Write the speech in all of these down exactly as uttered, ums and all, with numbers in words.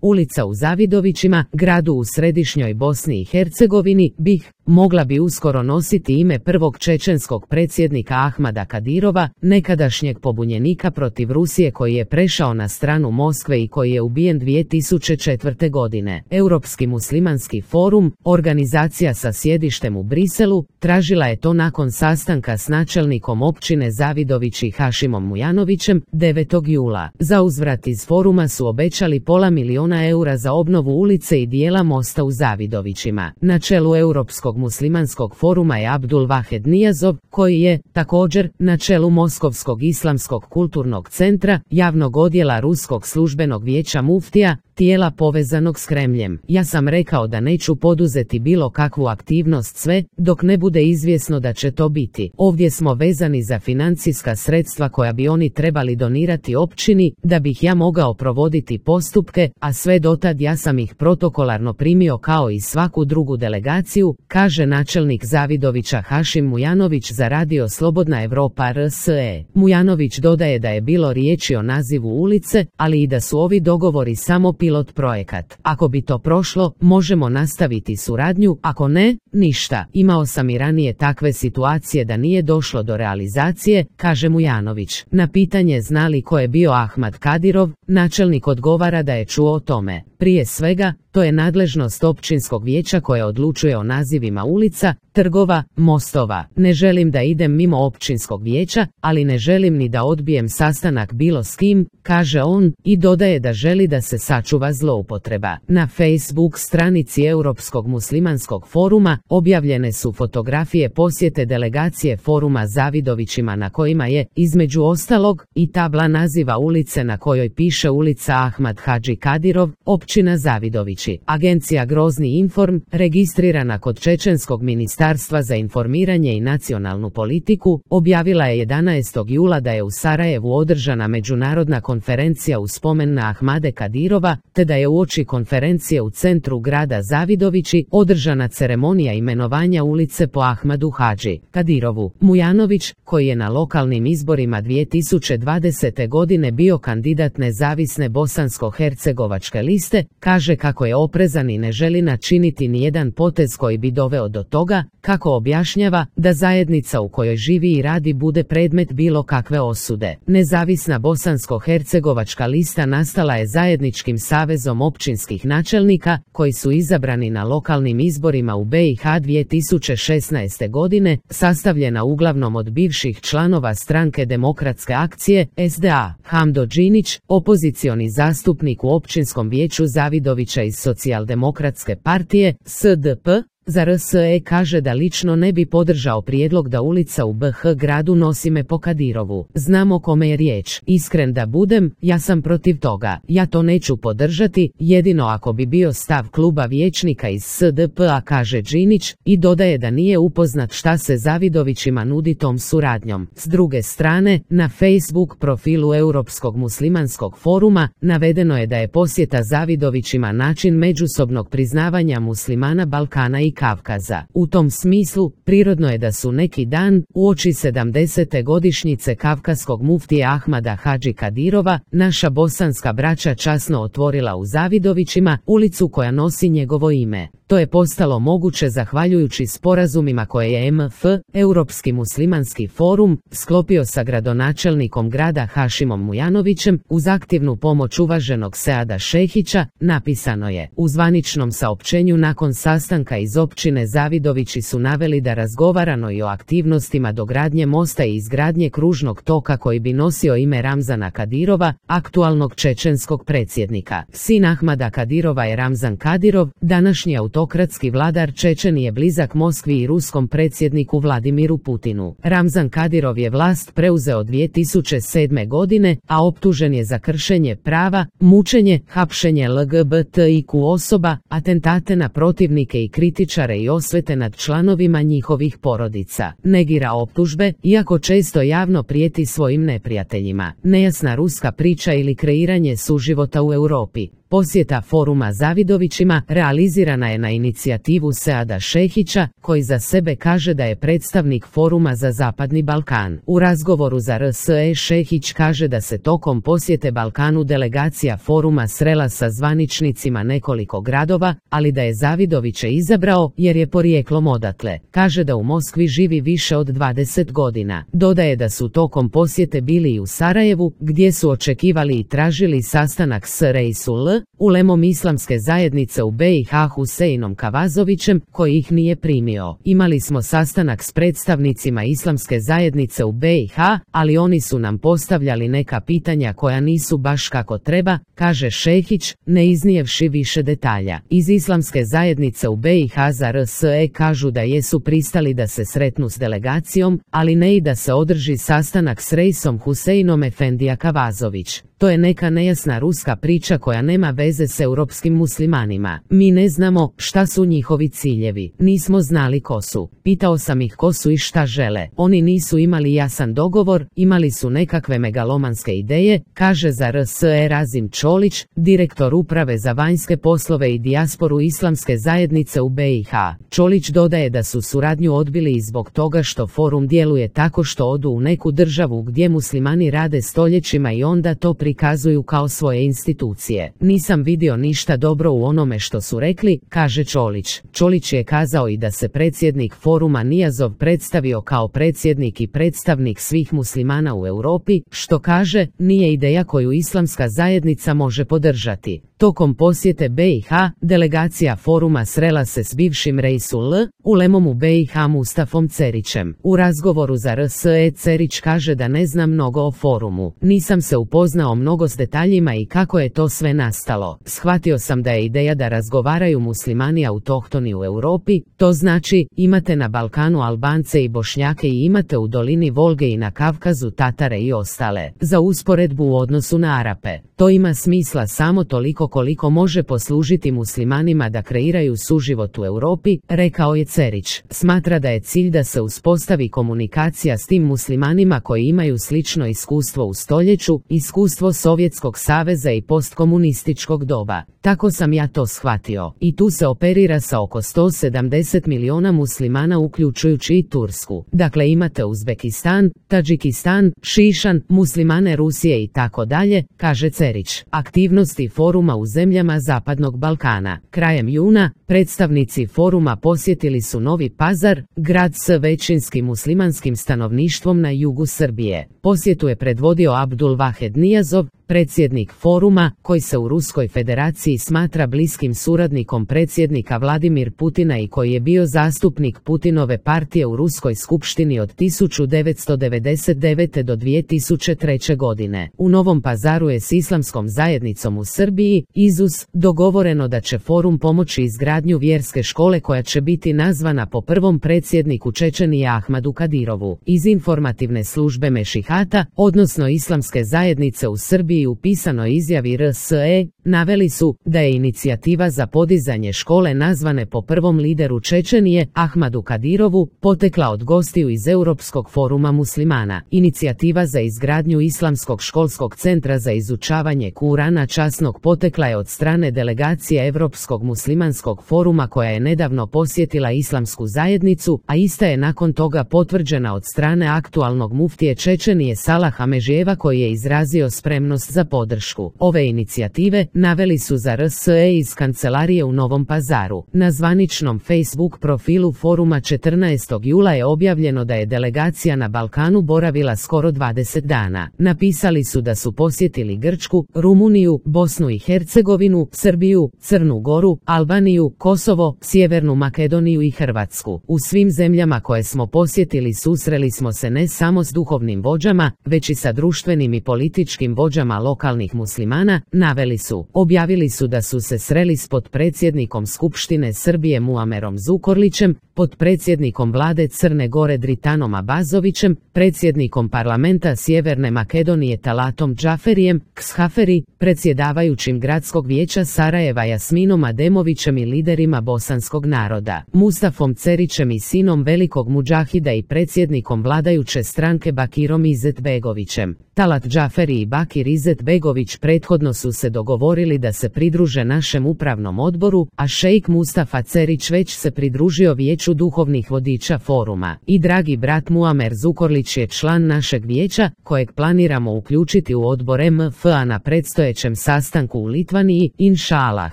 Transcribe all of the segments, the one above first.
Ulica u Zavidovićima, gradu u središnjoj Bosni i Hercegovini, BiH, mogla bi uskoro nositi ime prvog čečenskog predsjednika Ahmada Kadirova, nekadašnjeg pobunjenika protiv Rusije koji je prešao na stranu Moskve i koji je ubijen dvije tisuće četvrte. godine. Europski muslimanski forum, organizacija sa sjedištem u Briselu, tražila je to nakon sastanka s načelnikom općine Zavidovići Hašimom Mujanovićem devetog jula. Za uzvrat iz foruma su obećali pola miliona eura za obnovu ulice i dijela mosta u Zavidovićima. Na čelu Europskog muslimanskog foruma je Abdul Vahed Nijazov, koji je, također, na čelu Moskovskog islamskog kulturnog centra, javnog odjela Ruskog službenog vijeća muftija, tijela povezanog s Kremljem. Ja sam rekao da neću poduzeti bilo kakvu aktivnost sve, dok ne bude izvjesno da će to biti. Ovdje smo vezani za financijska sredstva koja bi oni trebali donirati općini, da bih ja mogao provoditi postupke, a sve dotad ja sam ih protokolarno primio kao i svaku drugu delegaciju, kaže načelnik Zavidovića Hašim Mujanović za radio Slobodna Evropa R S E. Mujanović dodaje da je bilo riječi o nazivu ulice, ali i da su ovi dogovori samo pilot projekat. Ako bi to prošlo, možemo nastaviti suradnju, ako ne, ništa. Imao sam i ranije takve situacije da nije došlo do realizacije, kaže Mujanović. Na pitanje zna li ko je bio Ahmad Kadirov, načelnik odgovara da je čuo o tome. Prije svega, to je nadležnost općinskog vijeća koje odlučuje o nazivima ulica, trgova, mostova. Ne želim da idem mimo općinskog vijeća, ali ne želim ni da odbijem sastanak bilo s kim, kaže on, i dodaje da želi da se sačuva zloupotreba. Na Facebook stranici Europskog muslimanskog foruma objavljene su fotografije posjete delegacije foruma Zavidovićima na kojima je, između ostalog, i tabla naziva ulice na kojoj piše ulica Ahmad Hadži Kadirov, općina Zavidovići. Agencija Grozni Inform, registrirana kod Čečenskog ministarstva za informiranje i nacionalnu politiku, objavila je jedanaestog jula da je u Sarajevu održana međunarodna konferencija u spomen na Ahmade Kadirova, te da je uoči konferencije u centru grada Zavidovići održana ceremonija imenovanja ulice po Ahmadu Hadži Kadirovu. Mujanović, koji je na lokalnim izborima dvije tisuće dvadesete. godine bio kandidat nezavisne bosansko-hercegovačke liste, kaže kako je oprezan i ne želi načiniti nijedan potez koji bi doveo do toga, kako objašnjava, da zajednica u kojoj živi i radi bude predmet bilo kakve osude. Nezavisna bosansko-hercegovačka lista nastala je zajedničkim savezom općinskih načelnika, koji su izabrani na lokalnim izborima u B i H dvije tisuće šesnaeste. godine, sastavljena uglavnom od bivših članova stranke Demokratske akcije, S D A. Hamdo Đinić, opozicioni zastupnik u općinskom vijeću Zavidovića iz Socijaldemokratske partije, S D P, za R S E kaže da lično ne bi podržao prijedlog da ulica u B H gradu nosi ime po Kadirovu. Znam o kome je riječ. Iskren da budem, ja sam protiv toga. Ja to neću podržati, jedino ako bi bio stav kluba vijećnika iz S D P-a, kaže Đinić, i dodaje da nije upoznat šta se Zavidovićima nudi tom suradnjom. S druge strane, na Facebook profilu Europskog muslimanskog foruma navedeno je da je posjeta Zavidovićima način međusobnog priznavanja muslimana Balkana i Kavkaza. U tom smislu, prirodno je da su neki dan, uoči sedamdesete godišnjice kavkaskog muftije Ahmada Hadži Kadirova, naša bosanska braća časno otvorila u Zavidovićima ulicu koja nosi njegovo ime. To je postalo moguće zahvaljujući sporazumima koje je M F, Europski muslimanski forum, sklopio sa gradonačelnikom grada Hašimom Mujanovićem, uz aktivnu pomoć uvaženog Seada Šehića, napisano je. U zvaničnom saopćenju nakon sastanka iz općine Zavidovići su naveli da razgovarano i o aktivnostima dogradnje mosta i izgradnje kružnog toka koji bi nosio ime Ramzana Kadirova, aktualnog čečenskog predsjednika. Sin Ahmada Kadirova je Ramzan Kadirov, današnji autokratski vladar Čečenije blizak Moskvi i ruskom predsjedniku Vladimiru Putinu. Ramzan Kadirov je vlast preuzeo dvije tisuće sedme. godine, a optužen je za kršenje prava, mučenje, hapšenje L G B T I Q osoba, atentate na protivnike i kritičare i osvete nad članovima njihovih porodica. Negira optužbe, iako često javno prijeti svojim neprijateljima. Nejasna ruska priča ili kreiranje suživota u Europi. Posjeta foruma Zavidovićima realizirana je na inicijativu Seada Šehića, koji za sebe kaže da je predstavnik foruma za Zapadni Balkan. U razgovoru za R S E Šehić kaže da se tokom posjete Balkanu delegacija foruma srela sa zvaničnicima nekoliko gradova, ali da je Zavidoviće izabrao jer je porijeklom odatle. Kaže da u Moskvi živi više od dvadeset godina. Dodaje da su tokom posjete bili i u Sarajevu, gdje su očekivali i tražili sastanak s Reisul, ulemom islamske zajednice u B i H Huseinom Kavazovićem, koji ih nije primio. Imali smo sastanak s predstavnicima islamske zajednice u B i H, ali oni su nam postavljali neka pitanja koja nisu baš kako treba, kaže Šehić, ne iznijevši više detalja. Iz islamske zajednice u B i H za R S E kažu da jesu pristali da se sretnu s delegacijom, ali ne i da se održi sastanak s Reisom Huseinom Efendija Kavazović. To je neka nejasna ruska priča koja nema veze s europskim muslimanima. Mi ne znamo šta su njihovi ciljevi. Nismo znali ko su. Pitao sam ih ko su i šta žele. Oni nisu imali jasan dogovor, imali su nekakve megalomanske ideje, kaže za R S E Razim Čolić, direktor uprave za vanjske poslove i dijasporu islamske zajednice u B i H. Čolić dodaje da su suradnju odbili i zbog toga što forum djeluje tako što odu u neku državu gdje muslimani rade stoljećima i onda to prikazuju kao svoje institucije. Nisam vidio ništa dobro u onome što su rekli, kaže Čolić. Čolić je kazao i da se predsjednik foruma Nijazov predstavio kao predsjednik i predstavnik svih muslimana u Europi, što kaže, nije ideja koju islamska zajednica može podržati. Tokom posjete B i H, delegacija foruma srela se s bivšim Reisul, ulemom u B i H Mustafom Cerićem. U razgovoru za R S E Cerić kaže da ne zna mnogo o forumu. Nisam se upoznao mnogo s detaljima i kako je to sve nastalo. Shvatio sam da je ideja da razgovaraju muslimani autohtoni u Europi, to znači, imate na Balkanu Albance i Bošnjake i imate u dolini Volge i na Kavkazu Tatare i ostale. Za usporedbu u odnosu na Arape. To ima smisla samo toliko koliko može poslužiti muslimanima da kreiraju suživot u Europi, rekao je Cerić. Smatra da je cilj da se uspostavi komunikacija s tim muslimanima koji imaju slično iskustvo u stoljeću, iskustvo Sovjetskog saveza i postkomunističkog doba. Tako sam ja to shvatio. I tu se operira sa oko sto sedamdeset miliona muslimana uključujući i Tursku. Dakle imate Uzbekistan, Tadžikistan, Šišan, muslimane Rusije i tako dalje, kaže Cerić. Aktivnosti foruma u zemljama Zapadnog Balkana. Krajem juna, predstavnici foruma posjetili su Novi Pazar, grad s većinskim muslimanskim stanovništvom na jugu Srbije. Posjetu je predvodio Abdul Vahed Nijazov, predsjednik foruma, koji se u Ruskoj federaciji smatra bliskim suradnikom predsjednika Vladimir Putina i koji je bio zastupnik Putinove partije u Ruskoj skupštini od tisuću devetsto devedeset devete do dvije tisuće treće. godine. U Novom Pazaru je s islamskom zajednicom u Srbiji, I Z U S, dogovoreno da će forum pomoći izgradnju vjerske škole koja će biti nazvana po prvom predsjedniku Čečenije Ahmadu Kadirovu. Iz informativne službe Mešihata, odnosno islamske zajednice u Srbiji, u pisanoj izjavi R S E, naveli su da je inicijativa za podizanje škole nazvane po prvom lideru Čečenije, Ahmadu Kadirovu, potekla od gostiju iz Europskog foruma muslimana. Inicijativa za izgradnju Islamskog školskog centra za izučavanje Kurana časnog potekla je od strane delegacije Europskog muslimanskog foruma koja je nedavno posjetila islamsku zajednicu, a ista je nakon toga potvrđena od strane aktualnog muftije Čečenije Salaha Mežijeva koji je izrazio spremnost za podršku. Ove inicijative naveli su za R S E iz kancelarije u Novom Pazaru. Na zvaničnom Facebook profilu foruma četrnaestog jula je objavljeno da je delegacija na Balkanu boravila skoro dvadeset dana. Napisali su da su posjetili Grčku, Rumuniju, Bosnu i Hercegovinu, Srbiju, Crnu Goru, Albaniju, Kosovo, Sjevernu Makedoniju i Hrvatsku. U svim zemljama koje smo posjetili susreli smo se ne samo s duhovnim vođama, već i sa društvenim i političkim vođama lokalnih muslimana, naveli su. Objavili su da su se sreli s potpredsjednikom Skupštine Srbije Muamerom Zukorlićem, potpredsjednikom vlade Crne Gore Dritanom Abazovićem, predsjednikom parlamenta Sjeverne Makedonije Talatom Džaferijem, Kshaferi, predsjedavajućim gradskog vijeća Sarajeva Jasminom Ademovićem i liderima bosanskog naroda, Mustafom Cerićem i sinom velikog mudžahida i predsjednikom vladajuće stranke Bakirom Izetbegovićem. Talat Džaferi i Bakir Izetbegović prethodno su se dogovorili da se pridruže našem upravnom odboru, a šejk Mustafa Cerić već se pridružio vijeću duhovnih vodiča foruma. I dragi brat Muamer Zukorlić je član našeg vijeća, kojeg planiramo uključiti u odbor M F A na predstojećem sastanku u Litvaniji, inšalah.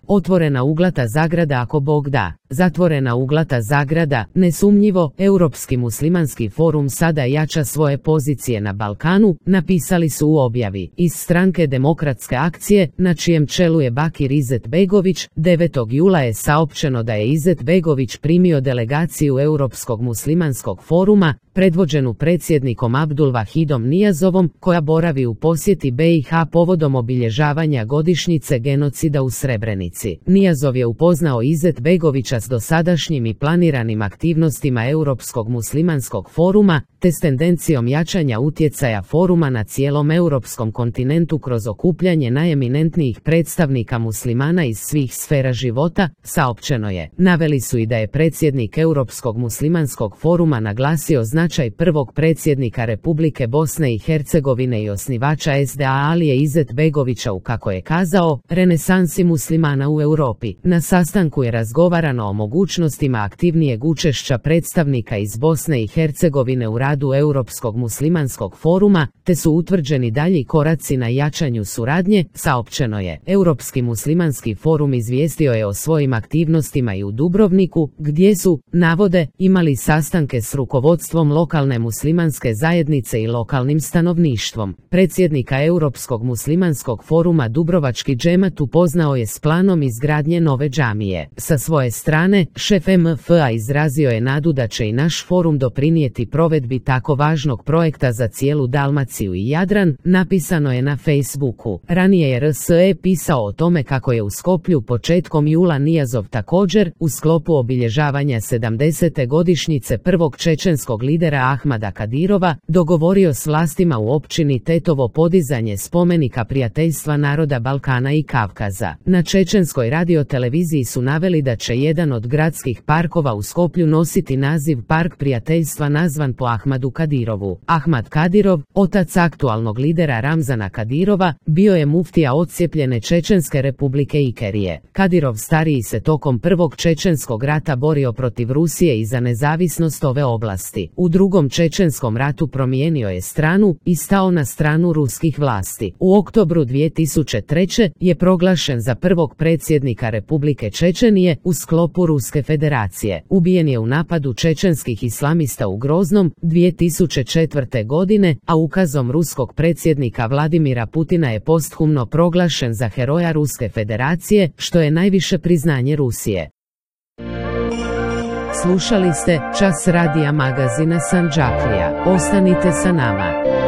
Otvorena uglata zagrada ako Bog da. Zatvorena uglata zagrada, nesumnjivo, Europski muslimanski forum sada jača svoje pozicije na Balkanu, napisali su u objavi. Iz stranke Demokratske akcije, na čijem čelu je Bakir Izetbegović, devetog jula je saopćeno da je Izetbegović primio delegaciju Europskog muslimanskog foruma, predvođenu predsjednikom Abdulvahidom Nijazovom, koja boravi u posjeti B i H povodom obilježavanja godišnjice genocida u Srebrenici. Nijazov je upoznao Izetbegovića s dosadašnjim i planiranim aktivnostima Europskog muslimanskog foruma, te s tendencijom jačanja utjecaja foruma na cijelom europskom kontinentu kroz okupljanje najeminentnijih predstavnika muslimana iz svih sfera života, saopćeno je. Naveli su i da je predsjednik Europskog muslimanskog foruma naglasio značaj prvog predsjednika Republike Bosne i Hercegovine i osnivača S D A Alije Izetbegovića u, kako je kazao, renesansi muslimana u Europi. Na sastanku je razgovarano o mogućnostima aktivnijeg učešća predstavnika iz Bosne i Hercegovine u radu Europskog muslimanskog foruma, te su utvrđeni dalji koraci na jačanju suradnje, saopćeno je. Europski muslimanski forum izvijestio je o svojim aktivnostima i u Dubrovniku, gdje su, navode, imali sastanke s rukovodstvom lokalne muslimanske zajednice i lokalnim stanovništvom. Predsjednika Europskog muslimanskog foruma Dubrovački džemat upoznao je s planom izgradnje nove džamije. Sa svoje strane, šef M F A izrazio je nadu da će i naš forum doprinijeti provedbi tako važnog projekta za cijelu Dalmaciju i Jadran, napisano je na Facebooku. Ranije je R S E pisao o tome kako je u Skoplju početkom jula Nijazov također, u sklopu obilježavanja sedamdesete godišnjice prvog čečenskog lidera Ahmada Kadirova, dogovorio s vlastima u općini Tetovo podizanje spomenika prijateljstva naroda Balkana i Kavkaza. Na čečenskoj radioteleviziji su naveli da će jedan od gradskih parkova u Skoplju nositi naziv Park prijateljstva nazvan po Ahmadu Kadirovu. Ahmad Kadirov, otac aktualnog lidera Ramzana Kadirova, bio je muftija odcijepljene Čečenske republike Ikerije. Kadirov stariji se tokom prvog čečenskog rata borio protiv Rusije i za nezavisnost ove oblasti. U drugom čečenskom ratu promijenio je stranu i stao na stranu ruskih vlasti. U oktobru dvije tisuće treće. je proglašen za prvog predsjednika Republike Čečenije u sklopu Ruske federacije. Ubijen je u napadu čečenskih islamista u Groznom dvije tisuće četvrte. godine, a ukazom ruskog predsjednika Vladimira Putina je posthumno proglašen za heroja Ruske federacije, što je najviše priznanje Rusije. Slušali ste Čas radija magazina Sandžaklija. Ostanite sa nama.